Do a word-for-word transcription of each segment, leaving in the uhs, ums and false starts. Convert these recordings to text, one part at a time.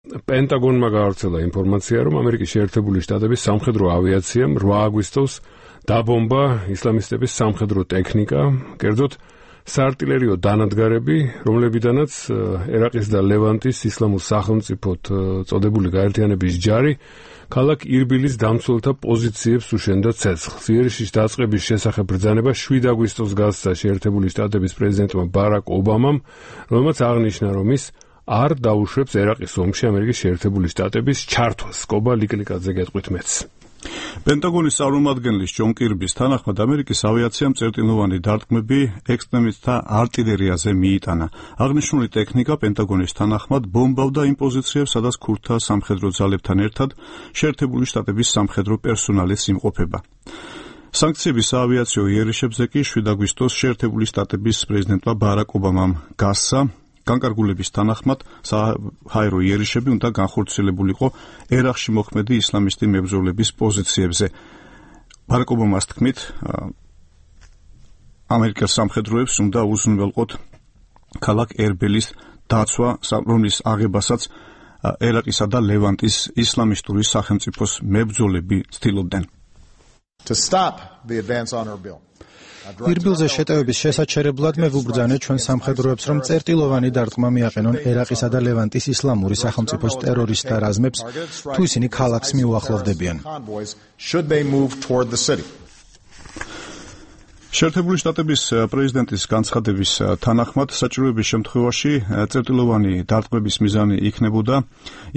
პენტაგონმა გაავრცელა ინფორმაცია, რომ ამერიკის შეერთებული შტატების სამხედრო ავიაციამ რვა აგვისტოს დაბომბა ისლამისტების სამხედრო ტექნიკა, კერძოდ საარტილერიო დანადგარები, რომლებიდანაც ერაყის და ლევანტის ისლამურ სახელმწიფოთ წოდებული გაერთიანების ჯარი ქალაქ ირბილის დამცველთა პოზიციებს უშენდა ცეცხლს. იერიშის დაწყების შესახებ ბრძანება შვიდ აგვისტოს გასცა შეერთებული შტატების პრეზიდენტმა ბარაკ ობამამ, რომელმაც აღნიშნა, რომ ის არ დაუშვებს ერაყის ომში ამერიკის შეერთებული შტატების ჩართვას. კობა ლიკლიკაძე გეტყვით მეც. პენტაგონის წარმომადგენლის ჯონ კირბის თანახმად ამერიკის ავიაციამ წერტილოვანი დარტყმები ექსტრემისტთა არტილერიაზე მიიტანა. აღნიშნული ტექნიკა პენტაგონის თანახმად ბომბავდა იმ პოზიციებს, სადაც ქურთთა სამხედრო ძალებთან ერთად შეერთებული შტატების სამხედრო პერსონალის იმყოფება. სანქციების საავიაციო იერიშებზე კი შვიდ აგვისტოს შეერთებული შტატების პრეზიდენტმა ბარაკ ობამამ გასცა. განკარგულების თანახმად საჰაერო იერიშები უნდა განხორციელებულიყო ერაყში მოქმედი ისლამისტი მებრძოლების პოზიციებზე. ბარაკ ობამას თქმით, ამერიკის სამხედროებს უნდა უზრუნველყოთ ქალაქ ერბილის დაცვა, რომლის აღებასაც ერაყისა და ლევანტის ისლამისტური სახელმწიფოს მებრძოლები ცდილობდნენ. To stop the advance on Erbil. ირბილზე შეტევების შესაჩერებლად მე ვუბრძანე ჩვენ სამხედროებს, რომ წერტილოვანი დარტყმა მიაყენონ ერაყისა და ლევანტის ისლამური სახელმწიფოს ტერორისტთა რაზმებს, თუ ისინი ქალაქს მიუახლოვდებიან. შეერთებული შტატების პრეზიდენტის განცხადების თანახმად საჭიროების შემთხვევაში წერტილოვანი დარტყმების მიზანი იქნებოდა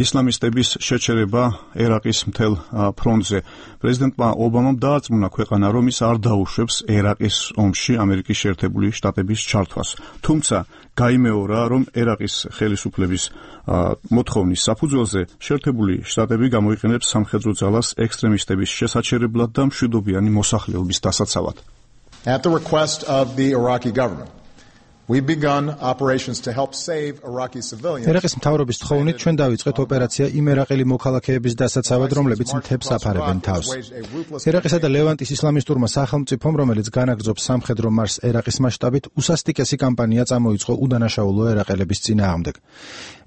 ისლამისტების შეჩერება ერაყის მთელ ფრონტზე. პრეზიდენტმა ობამამ დაარწმუნა ქვეყანა, რომ ის არ დაუშვებს ერაყის ომში ამერიკის შეერთებული შტატების ჩართვას. თუმცა გაიმეორა, რომ ერაყის ხელისუფლების მოთხოვნის საფუძველზე შეერთებული შტატები გამოიყენებს სამხედრო ძალას ექსტრემისტების შესაჩერებლად და მშვიდობიანი მოსახლეობის დასაცავად. At the request of the Iraqi government, we've begun operations to help save Iraqi civilians. ერაყის მთავრობის თხოვნით ჩვენ დავიწყეთ ოპერაცია იმ ერაყელი მოქალაქეების დასაცავად, რომლებიც მთებს აფარებენ თავს. ერაყისა და ლევანტის ისლამისტურმა სახელმწიფომ, რომელიც განაგრძობს სამხედრო მარშს ერაყის მასშტაბით, უსასტიკესი კამპანია წამოიწყო უდანაშაულო ერაყელების წინააღმდეგ.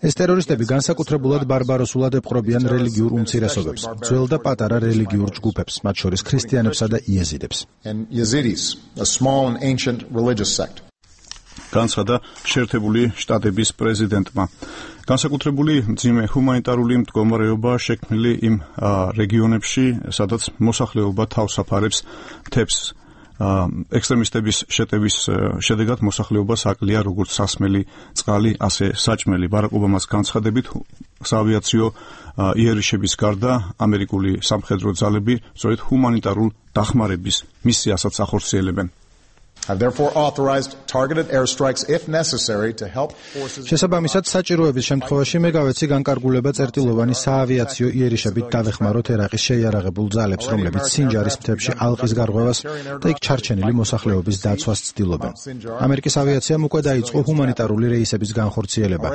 ეს ტერორისტები განსაკუთრებულად ბარბაროსულად ეპყრობიან რელიგიურ უმცირესობებს, ძველ და პატარა რელიგიურ ჯგუფებს, მათ შორის ქრისტიანებსა და იეზიდებს. განცხადა შეერთებული შტატების პრეზიდენტმა. განსაკუთრებული მძიმე ჰუმანიტარული მდგომარეობა შექმნილი იმ რეგიონებში, სადაც მოსახლეობა თავს აფარებს მთებს. ექსტრემისტების შეტევის შედეგად მოსახლეობას აკლია როგორც სასმელი წყალი, ასე საჭმელი. ბარაკ ობამას განცხადებით, საავიაციო იერიშების გარდა ამერიკული სამხედრო ძალები სწორედ ჰუმანიტარულ დახმარების მისიასაც ახორციელებენ. Have therefore authorized targeted airstrikes if necessary to help forces. შესაბამისად, საჭიროების შემთხვევაში მე გავეცი განკარგულება წერტილოვანი საავიაციო იერიშებით დავეხმაროთ ერაყის შეიარაღებულ ძალებს, რომლებიც სინჯარის მთებში ალყის გარღვევას და იქ ჩარჩენილი მოსახლეობის დაცვას ცდილობენ. ამერიკის ავიაციამ უკვე დაიწყო ჰუმანიტარული რეისების განხორციელება,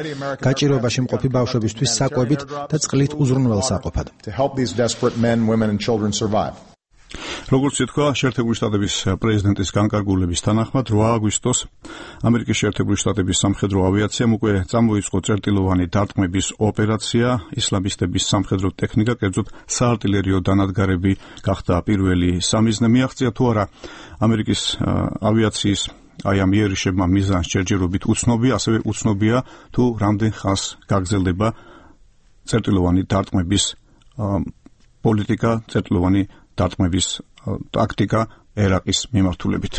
გაჭირვებაში მყოფი ბავშვებისთვის საკვებით და წყლით უზრუნველსაყოფად. To help these desperate men, women and children survive. როგორც ითქვა, შეერთებული შტატების პრეზიდენტის განკარგულების თანახმად რვა აგვისტოს ამერიკის შეერთებული შტატების სამხედრო ავიაციამ უკვე წამოიწყო წერტილოვანი დარტყმების ოპერაცია. ისლამისტების სამხედრო ტექნიკა, კერძოდ საარტილერიო დანადგარები გახდა პირველი სამიზნე. მიაღწია თუ არა ამერიკის ავიაციის აი ამ იერიშებმა მიზანს ჯერჯერობით უცნობია, ასევე უცნობია თუ რამდენ ხანს გაგრძელდება წერტილოვანი დარტყმების პოლიტიკა, წერტილოვანი დარტყმების ტაქტიკა ერაყის მიმართულებით.